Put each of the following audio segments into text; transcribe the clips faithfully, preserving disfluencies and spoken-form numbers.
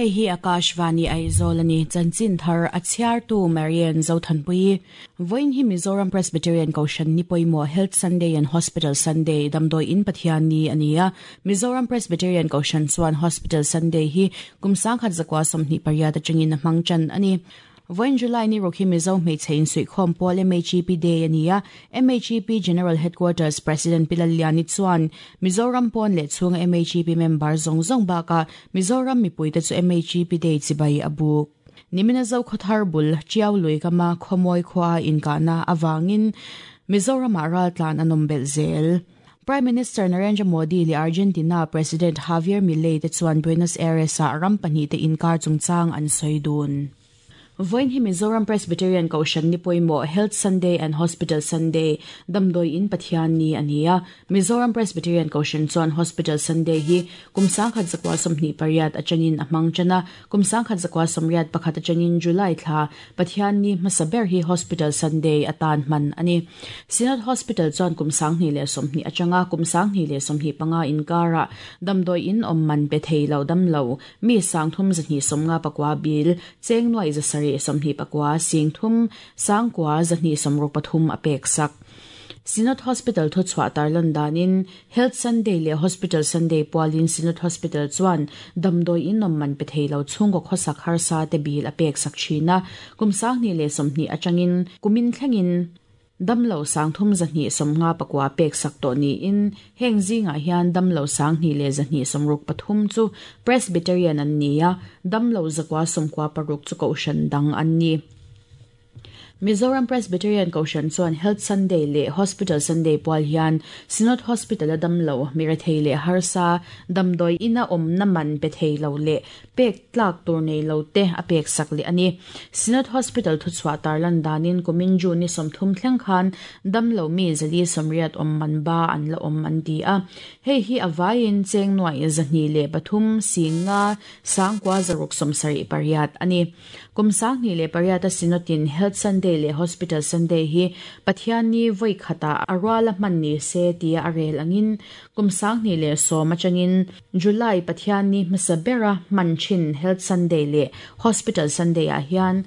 Hei hi Akashvani Aizawl ani chanchin thar a chhiartu Marian Zothanpui. Vawiin hi Mizoram Presbyterian Kohhran ni pawimawh Health Sunday and Hospital Sunday damdawi in Pathian ni a ni a. Mizoram Presbyterian Kohhran chuan Hospital Sunday hi kum sangkhat zakua sawmhnih pariat atangin a hmang tan a ni. Vawiin July ni ruk hi Mizo hmeichhe insuihkhawm pawl M H E P Day a ni a. M H E P General Headquarters President Pilaliani chuan Mizoram pawn leh chhunga M H E P member zawng zawng bakah Mizoram mipuite chu M H E P Day chibai a buk. Nimina Zokhawthar bul Chiau lui kama khawmawi khua inkahna awangin Mizoramah raltlan an awm belh zel. Prime Minister Narendra Modi leh Argentina President Javier Milei te chuan Buenos Aires-ah ram pahnih te inkar chungchang an sawi dun. Vawiin hi Mizoram Presbyterian Kohhran ni pawimawh Health Sunday and Hospital Sunday damdawi in Pathian ni a ni a. Mizoram Presbyterian Kohhran chuan Hospital Sunday hi kum sangkhat zakua sawmhnih pariat atangin a hmang tan a. Kum sangkhat zakua sawmriat pakhat atangin July thla Pathian ni hmasa ber hi Hospital Sunday atan hman a ni. Synod Hospital chuan kum sanghnih leh sawmhnih atanga kum sanghnih leh sawmhnih panga inkarah damdawi in awm man pe thei lo dam lo mi sangthum zahnih sawmnga pakua bil cheng nuai zasarih sawmhnih pakua sing thum sangkua zahnih sawmruk pathum a pek sak. Synod Hospital thu chhuah tarlan danin Health Sunday leh Hospital Sunday pualin Synod Hospital chuan damdawi in awm man pe thei lo chhungkaw khawsak harsa te bil a pek sak thin a. Kum sanghnih leh sawmhnih atangin kumin thlengin damlo sangthum zahnih sawmnga pakua pek sak tawh niin heng zingah hian damlo sanghnih leh zahnih sawmruk pathum chu Presbyterian an ni a, damlo zakua sawmkua paruk chu kohhran dang an ni. Mizoram Presbyterian Kohhran chuan Health Sunday leh Hospital Sunday pual hian Synod Hospital a damlo mirethei leh harsa damdawi ina awmna man pe thei lo leh pek tlak tur nei lo te a pek sak leh a ni. Synod Hospital thu chhuah tarlan danin kumin June ni sawmthum thleng khan damlo mi zali sawmriat awm man ba an la awm an ti a. Hei hi a vaiin cheng nuai zahnih leh pathum singa sangkua zaruk sawmsarih pariat a ni. Kum sanghnih leh pariat a Synodin Health Sunday leh Hospital Sunday hi Pathian ni vawi khata a ruala hman ni se tia a rel angin kum sanghnih leh sawm atangin July Pathian ni hmasa bera hman thin Health Sunday leh Hospital Sunday ah hian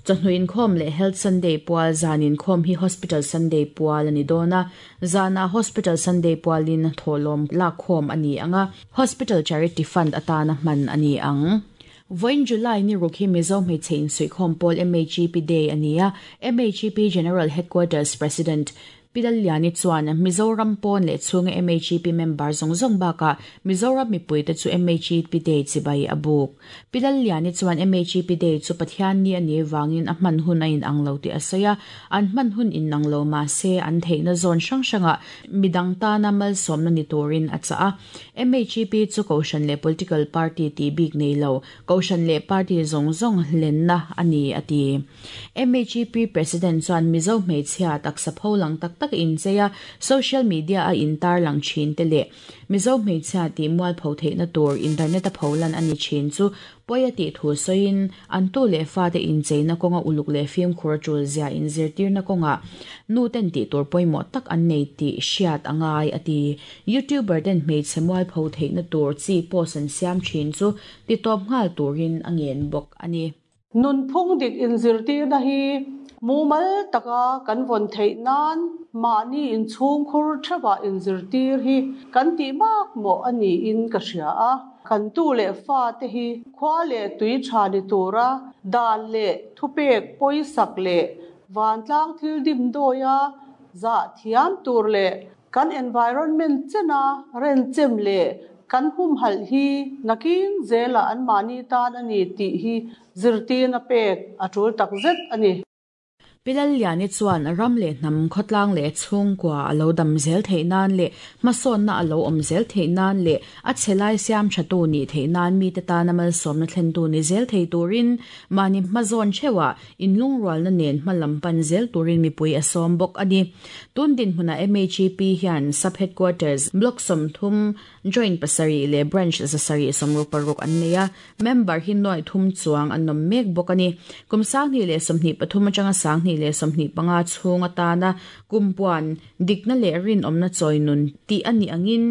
chawhnu inkhawm leh Health Sunday pual zan inkhawm hi Hospital Sunday pual a ni dawn a. Zanah Hospital Sunday pualin thawhlawm lakkhawm a ni ang a, Hospital Charity Fund atana hman a ni ang. Vawiin July ni ruk hi Mizo hmeichhe insuihkhawm pawl M H E P Day a ni a. M H E P General Headquarters President Pilaliani chuan Mizoram pawn leh chhunga M H E P member zawng zawng bakah Mizoram mipuite chu M H E P Day chibai a buk. Pilaliani chuan M H E P Day chu Pathian ni a nih vangin a hman hun a inang lo tih a sawi a. An hman hun inang lo mahse an theihna zawn hrang hrangah midang tana malsawmna ni turin a chah a. M H E P chu Kohhran leh political party tih bik nei lo Kohhran leh party zawng zawng hlenna a ni a ti. M H E P President chuan Mizo hmeichhia taksa pholang tak tak inchei a social media a intar lang thin te leh Mizo hmeichhia tih mual pho theihna tur internet a pholan a ni thin chu pawi a tih thu sawiin an tu leh fa te incheina kawnga uluk leh fimkhur a tul zia inzirtirna kawngah nu ten tih tur pawimawh tak an nei tih hriat a ngai a ti. YouTuber ten hmeichhe mual pho theihna tur chi post an siam thin chu titawp nghal turin a ngen bawk a ni. Nunphung dik inzirtirna hi mumal taka kan vawn theih nan mahni inchhung khur theuhah inzirtir hi kan tih makmawh a niin ka hria a. Kan tu leh fa te hi khua leh tui tha ni tura dan leh thupek pawisak leh vantlang thil dim dawia zah thiam tur leh kan environment chena renchem leh kan humhalh hi nakin zela an mahni tan a ni tih hi zirtirna pek a tul takzet a ni. Pilaliani chuan ram leh hnam khawtlang leh chhungkua a lo dam zel theih nan leh hmasawnna a lo awm zel theih nan leh a chhelai siam thatu ni theih nan mi te tana malsawmna thlentu ni zel thei turin mahni hmazawn theuhah inlungrualna nen hmalam pan zel turin mipui a sawm bawk a ni. Tun dinhmunah M H E P hian Sub Headquarters Block sawmthum Joint pasarih leh Branch zasarih sawmruk paruk an nei a, member hi nuai thum chuang an awm mek bawk a ni. Kum sanghnih leh sawmhnih pathum atanga sanghnih ni le sawmhnih panga chhung atana kumpuan dikna leh rinawmna chawinun tih ani angin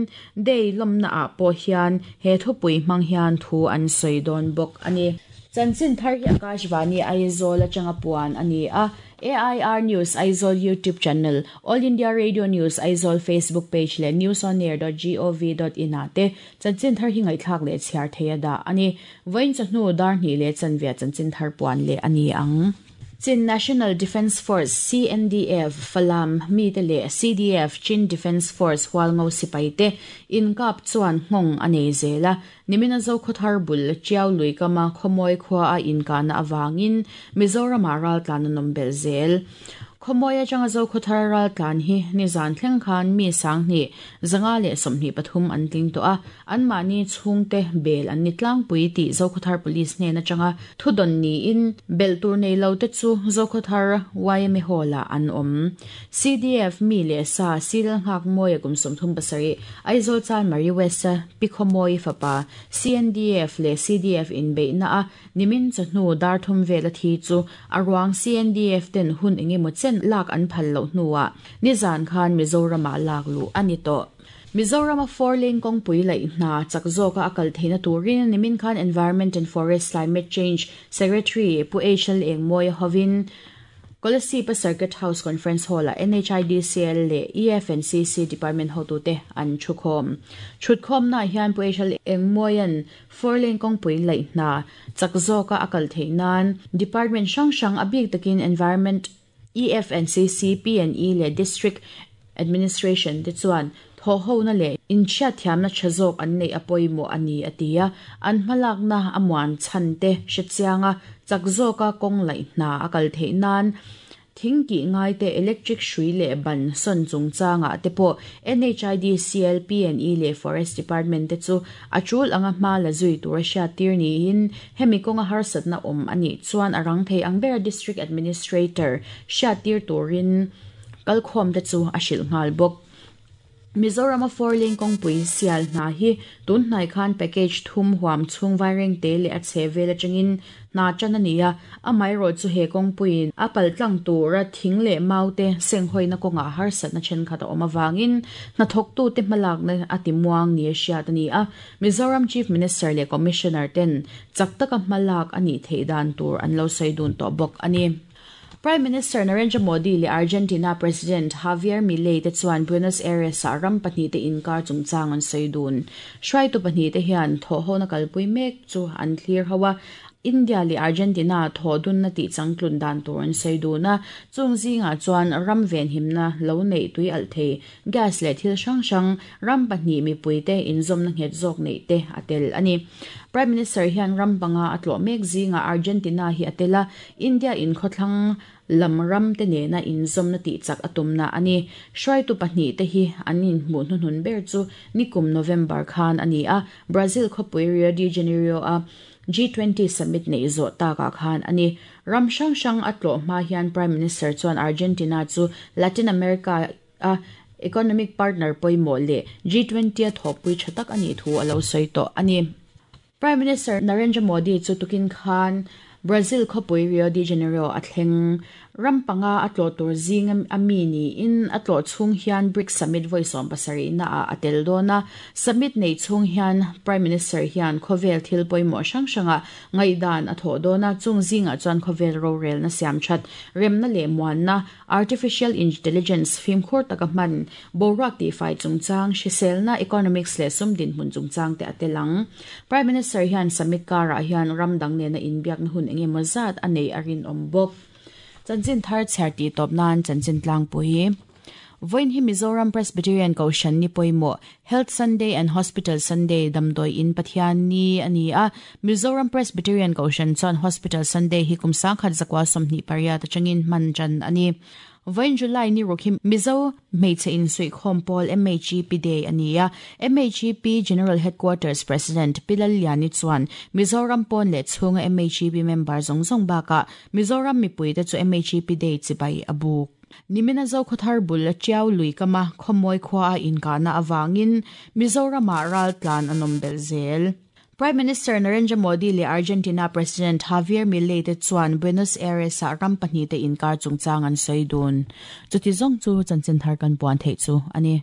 day lawmna ah pawh hian he thupui hmang hian thu an sawi dawn bawk ani. Chanchin thar hi Akashvani Aizawl atanga puan ani a. A I R News Aizawl YouTube channel, All India Radio News Aizawl Facebook page le news on air dot gov dot in ate chanchin thar hi ngaithlak le chhiar theia da ani. Vain chahnu dar ni le chanvia chanchin thar puan le ani ang. Chin National Defence Force C N D F Falam mi te le C D F Chin Defence Force Hualngo sipai te inkap chuan nghong anei zela nimina zo khothar bul chiaw lui kama khomoi khwa a inkana awangin Mizoram ral tlan nom bel zel khomoya changa zo khothar ral tlan hi ni zan thleng khan mi sang ni zanga le somni pathum an tling to a an mani chhungte bel an ni tlang pui ti zo khothar police ne na changa thudon ni in bel tur nei lo te chu zo khothar Y M A hola an om C D F mi le sa sil ngak moya kum som thum pasari Aizawl chan Mari West pi khomoi fapa C N D F le C D F in be na a nimin chahnu dar thum vela thi chu arwang C N D F ten hun enge mo chen lak an phal lo hnuwa nizan khan Mizoram a lak lu ani to. Mizoram a four lane kong pui lai na chakzoka akal theina turin nimin khan Environment and Forest Climate Change Secretary Pu H L Engmoi hovin Kolasipa Circuit House Conference Hall a N H I D C L le E F N C C Department ho tu te an thukhom thutkhom na hian Pu H L Engmoian four lane kong pui lai na chakzoka akal theinan Department sang sang abik takin Environment E F N C C P N E le District Administration te chuan tho ho na le in chia thiam na chazok an nei apoi mo ani atia an hmalak na amuan chan te hrechianga chakzoka kong lai na akal theinan thingki ngai te electric shui le ban son chungchanga te po N H I D C L P N E le Forest Department te chu achul anga hma la zui tur sha tir ni in hemi konga harsat na om ani chuan arang thei angber District Administrator sha tir turin kalkhom te chu ashil ngal bok. Mizoram a four lane kong pui sial na hi tun hnai khan package thum huam chung wiring te le a chevela changin na chanania amai ro chu he kong puin apal tlang tura thing le maute senghoi na konga har sat na chen khata oma wangin na thok tu te malak na atimuang ni sha tani a Mizoram Chief Minister le Commissioner ten chaktaka malak ani theidan tur an lo saidun to bok ani. Prime Minister Narendra Modi le Argentina President Javier Milei te chuan Buenos Aires a ram pahnih te inkar chungchang an saidun. Hruai tu pahnih te hian tho ho na kalpui mek chu an thlir hawa India le Argentina tho dun na ti changtlun dan tur an saiduna chung zinga chuan ram ven himna lo nei tui al thei gas le thil hrang hrang ram pahnih mipui te inzawm na nghet zawk nei te atel ani. Prime Minister hian ram panga atlo mek zinga Argentina hi atela India in khotlang lam ram te ne na inzawm na ti chak atum na ani. Hruai tu pahnih te hi anin hmu hnun ber chu nikum November khan ani a Brazil khawpui Rio de Janeiro a G twenty summit nei zo ta ka khan ani. Ram hrang hrang atlo hma hian Prime Minister chuan Argentina chu Latin America a economic partner poimo le G twenty a thawpui thatak ani thu alo sawi to ani. Prime Minister Narendra Modi chu tukin khan Brazil khawpui Rio de Janeiro a thleng ram panga atlo tur zing ami ni in atlo chung hian BRICS summit voi som pasari na a atel dona summit nei chung hian Prime Minister hian khovel thil poimo hrang hranga ngaidan a tho dona chung zinga chuan khovel ro rel na siam that remna le muan na artificial intelligence fim khur taka man borak ti fai chungchang hrisel na economics le sum din hmun chungchang te atelang. Prime Minister hian summit kara hian ramdang ne na inbiak na hun enge mozat anei arin ombok. Chanchin thar chherti top nan chanchin tlang pui Voin hi Mizoram Presbyterian Koshan ni poimo Health Sunday and Hospital Sunday damdoi in Pathian ni ani a Mizoram Presbyterian Koshan chuan Hospital Sunday hi kum sangkhat zakwa somni pariat changin man chan ani. Voin July ni rokhim Mizo Hmeichhe in sui khom pawl M H E P Day ania M H E P General Headquarters President Pilal Liani chuan Mizoram pon le chhunga M H E P member zong zong baka Mizoram mipui te chu M H E P Day chibai abuk. Nimina zo khothar bul chiaw lui kama khomoi khwa in kana awangin Mizoram ral tlan anom bel zel. Prime Minister Narendra Modi leh Argentina President Javier Milei te chuan Buenos Aires ah ram pahnih te inkar chungchang an sawi dun. Chuti zawng chu chanchin thar kan puan theih chu a ni.